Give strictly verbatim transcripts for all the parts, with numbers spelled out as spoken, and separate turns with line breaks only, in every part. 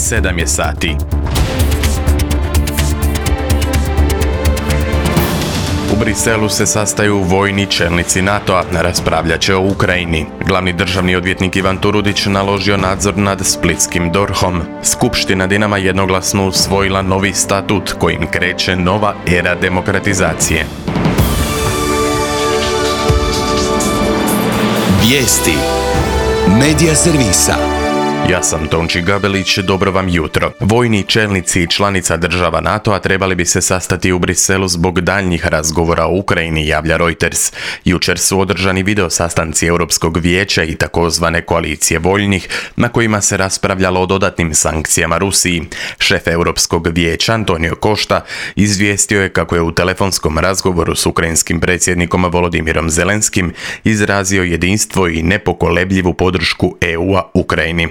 sedam je sati. U Briselu se sastaju vojni čelnici NATO-a, raspravljat će o Ukrajini. Glavni državni odvjetnik Ivan Turudić naložio nadzor nad splitskim dorhom. Skupština Dinama jednoglasno usvojila novi statut kojim kreće nova era demokratizacije.
Vijesti Medija servisa.
Ja sam Tonči Gabelić, dobro vam jutro. Vojni čelnici i članica država NATO-a trebali bi se sastati u Briselu zbog daljnjih razgovora o Ukrajini, javlja Reuters. Jučer su održani video sastanci Europskog vijeća i takozvane koalicije voljnih, na kojima se raspravljalo o dodatnim sankcijama Rusiji. Šef Europskog vijeća Antonio Costa izvijestio je kako je u telefonskom razgovoru s ukrajinskim predsjednikom Volodimirom Zelenskim izrazio jedinstvo i nepokolebljivu podršku E U-a Ukrajini.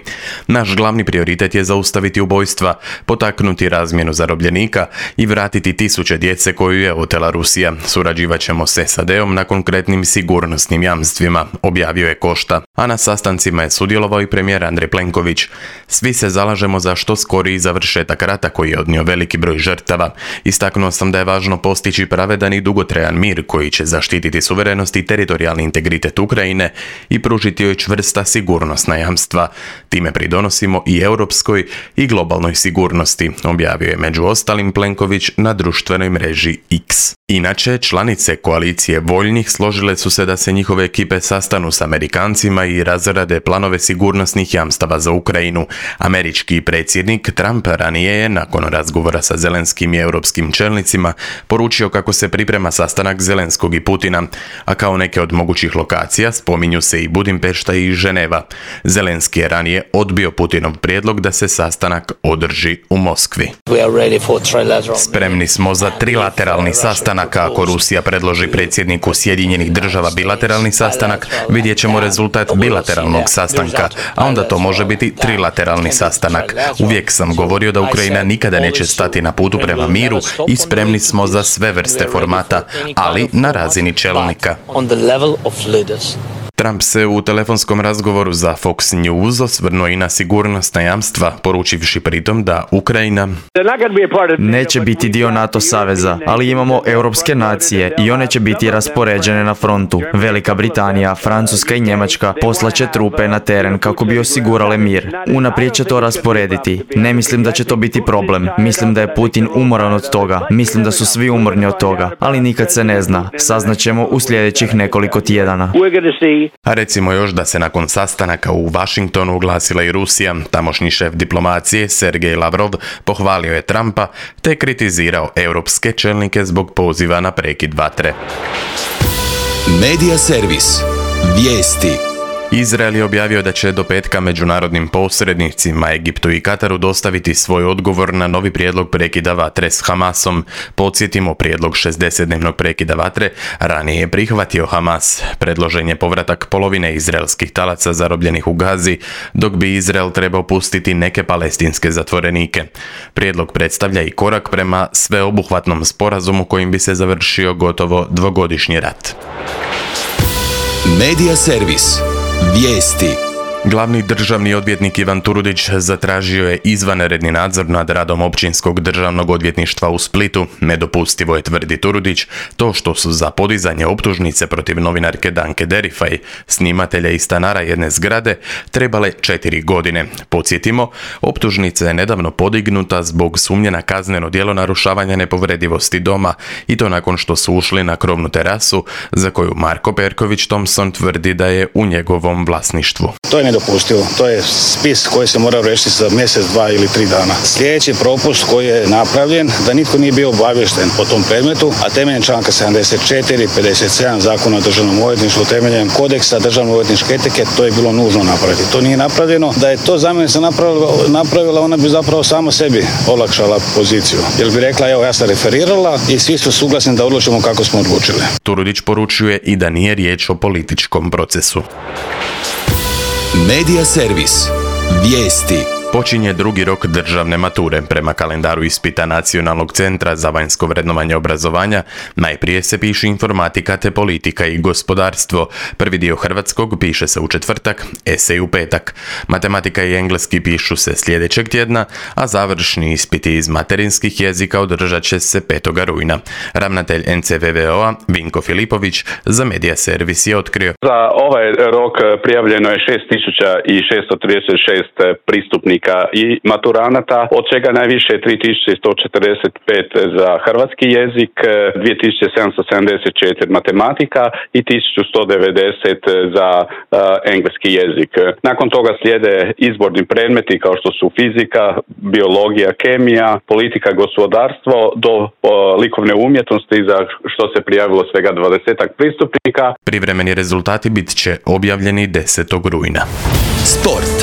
Naš glavni prioritet je zaustaviti ubojstva, potaknuti razmjenu zarobljenika i vratiti tisuće djece koju je otela Rusija. Surađivat ćemo s S A D-om na konkretnim sigurnosnim jamstvima, objavio je Costa. A na sastancima je sudjelovao i premijer Andrej Plenković. Svi se zalažemo za što skoriji završetak rata koji je odnio veliki broj žrtava. Istaknuo sam da je važno postići pravedan i dugotrajan mir koji će zaštititi suverenost i teritorijalni integritet Ukrajine i pružiti joj čvrsta sigurnosna jamstva. Time pridonosimo i europskoj i globalnoj sigurnosti, objavio je među ostalim Plenković na društvenoj mreži X. Inače, članice koalicije voljnih složile su se da se njihove ekipe sastanu s Amerikancima i razrade planove sigurnosnih jamstava za Ukrajinu. Američki predsjednik Trump ranije je, nakon razgovora sa Zelenskim i europskim čelnicima, poručio kako se priprema sastanak Zelenskog i Putina, a kao neke od mogućih lokacija spominju se i Budimpešta i Ženeva. Zelenski je ranije odbio Putinov prijedlog da se sastanak održi u Moskvi. Spremni smo za trilateralni sastanak. Ako Rusija predloži predsjedniku Sjedinjenih država bilateralni sastanak, vidjet ćemo rezultat bilateralnog sastanka, a onda to može biti trilateralni sastanak. Uvijek sam govorio da Ukrajina nikada neće stati na putu prema miru i spremni smo za sve vrste formata, ali na razini čelnika. Trump se u telefonskom razgovoru za Fox News osvrnuo i na sigurnosna jamstva, poručivši pritom da Ukrajina
neće biti dio NATO saveza, ali imamo europske nacije i one će biti raspoređene na frontu. Velika Britanija, Francuska i Njemačka poslaće trupe na teren kako bi osigurale mir. Unaprijed će to rasporediti. Ne mislim da će to biti problem. Mislim da je Putin umoran od toga. Mislim da su svi umorni od toga, ali nikad se ne zna. Saznaćemo u sljedećih nekoliko tjedana.
A recimo još da se nakon sastanaka u Washingtonu oglasila i Rusija. Tamošnji šef diplomacije Sergej Lavrov pohvalio je Trumpa te kritizirao europske čelnike zbog poziva na prekid vatre.
Medija servis. Vijesti.
Izrael je objavio da će do petka međunarodnim posrednicima Egiptu i Kataru dostaviti svoj odgovor na novi prijedlog prekida vatre s Hamasom. Podsjetimo, prijedlog šezdesetdnevnog prekida vatre ranije je prihvatio Hamas. Predložen je povratak polovine izraelskih talaca zarobljenih u Gazi, dok bi Izrael trebao pustiti neke palestinske zatvorenike. Prijedlog predstavlja i korak prema sveobuhvatnom sporazumu kojim bi se završio gotovo dvogodišnji rat.
Medija servis. Vijesti.
Glavni državni odvjetnik Ivan Turudić zatražio je izvanredni nadzor nad radom Općinskog državnog odvjetništva u Splitu. Nedopustivo je, tvrdi Turudić, to što su za podizanje optužnice protiv novinarke Danke Derifaj, snimatelja i stanara jedne zgrade, trebale četiri godine. Podsjetimo, optužnica je nedavno podignuta zbog sumnje na kazneno djelo narušavanja nepovredivosti doma, i to nakon što su ušli na krovnu terasu za koju Marko Perković Thompson tvrdi da je u njegovom vlasništvu.
To je nedopustivo. To je spis koji se mora riješiti za mjesec, dva ili tri dana. Sljedeći propust koji je napravljen, da nitko nije bio obavješten po tom predmetu, a temeljem članka sedamdeset četiri, pedeset sedam Zakona o državnom odvjetništvu, temeljem kodeksa državno odvjetničke etike, to je bilo nužno napraviti. To nije napravljeno. Da je to zamjenica napravila, napravila, ona bi zapravo sama sebi olakšala poziciju. Jer bi rekla, evo, ja sam referirala i svi su suglasni da odlučimo kako smo odlučili.
Turudić poručuje i da nije riječ o političkom procesu.
Medija servis. Vijesti.
Počinje drugi rok državne mature. Prema kalendaru ispita Nacionalnog centra za vanjsko vrednovanje obrazovanja, najprije se piše informatika te politika i gospodarstvo. Prvi dio hrvatskog piše se u četvrtak, esej u petak. Matematika i engleski pišu se sljedećeg tjedna, a završni ispiti iz materinskih jezika održat će se petog rujna. Ravnatelj en ce ve ve o-a Vinko Filipović za Media Servis je otkrio.
Za ovaj rok prijavljeno je šest tisuća šesto trideset šest pristupnika i maturanata, od čega najviše tri tisuće sto četrdeset pet za hrvatski jezik, dvije tisuće sedamsto sedamdeset četiri matematika i tisuću sto devedeset za uh, engleski jezik. Nakon toga slijede izborni predmeti kao što su fizika, biologija, kemija, politika, gospodarstvo do uh, likovne umjetnosti za što se prijavilo svega dvadesetak pristupnika.
Privremeni rezultati bit će objavljeni desetog rujna.
Sport.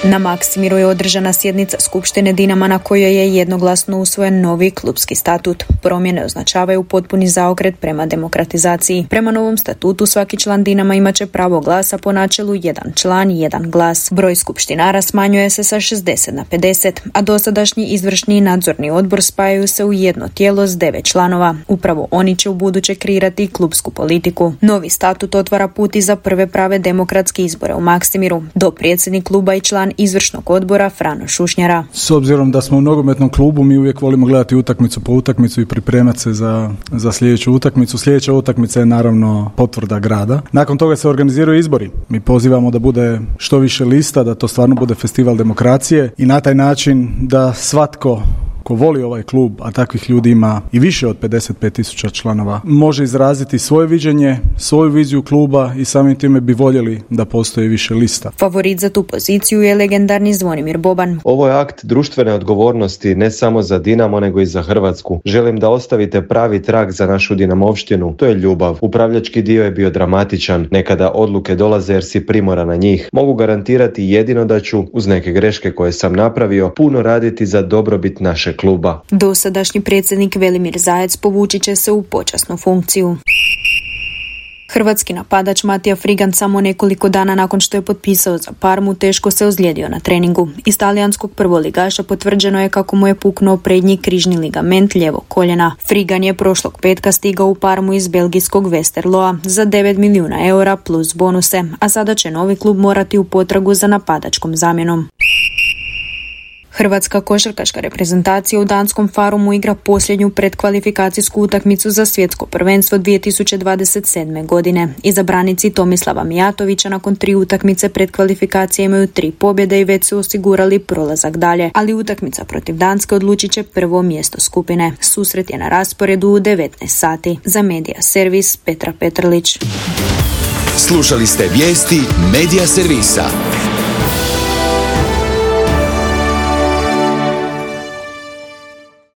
Na Maksimiru je održana sjednica Skupštine Dinama na kojoj je jednoglasno usvojen novi klubski statut. Promjene označavaju potpuni zaokret prema demokratizaciji. Prema novom statutu svaki član Dinama imat će pravo glasa po načelu jedan član, jedan glas. Broj skupštinara smanjuje se sa šezdeset na pedeset, a dosadašnji izvršni i nadzorni odbor spajaju se u jedno tijelo s devet članova. Upravo oni će ubuduće kreirati klubsku politiku. Novi statut otvara put i za prve prave demokratske izbore u Maksimiru. Dopredsjednik kluba i član izvršnog odbora Frano Šušnjara.
S obzirom da smo u nogometnom klubu, mi uvijek volimo gledati utakmicu po utakmicu i pripremati se za, za sljedeću utakmicu. Sljedeća utakmica je naravno potvrda grada. Nakon toga se organiziraju izbori. Mi pozivamo da bude što više lista, da to stvarno bude festival demokracije i na taj način da svatko ko voli ovaj klub, a takvih ljudi ima i više od pedeset pet tisuća članova, može izraziti svoje viđenje, svoju viziju kluba i samim time bi voljeli da postoji više lista.
Favorit za tu poziciju je legendarni Zvonimir Boban.
Ovo je akt društvene odgovornosti ne samo za Dinamo nego i za Hrvatsku. Želim da ostavite pravi trag za našu Dinamovštinu. To je ljubav. Upravljački dio je bio dramatičan. Nekada odluke dolaze jer si primoran na njih. Mogu garantirati jedino da ću, uz neke greške koje sam napravio, puno raditi za dobrobit naše kluba.
Dosadašnji predsjednik Velimir Zajec povući će se u počasnu funkciju. Hrvatski napadač Matija Frigan samo nekoliko dana nakon što je potpisao za Parmu teško se ozlijedio na treningu. Iz talijanskog prvoligaša potvrđeno je kako mu je puknuo prednji križni ligament lijevog koljena. Frigan je prošlog petka stigao u Parmu iz belgijskog Westerloa za devet milijuna eura plus bonuse, a sada će novi klub morati u potragu za napadačkom zamjenom. Hrvatska košarkaška reprezentacija u danskom Farumu igra posljednju predkvalifikacijsku utakmicu za svjetsko prvenstvo dvije tisuće dvadeset sedme. godine. Izabranici Tomislava Mijatovića nakon tri utakmice predkvalifikacije imaju tri pobjede i već su osigurali prolazak dalje, ali utakmica protiv Danske odlučit će prvo mjesto skupine. Susret je na rasporedu u devetnaest sati. Za Media Servis Petra Petrlić.
Slušali ste vijesti Media Servisa.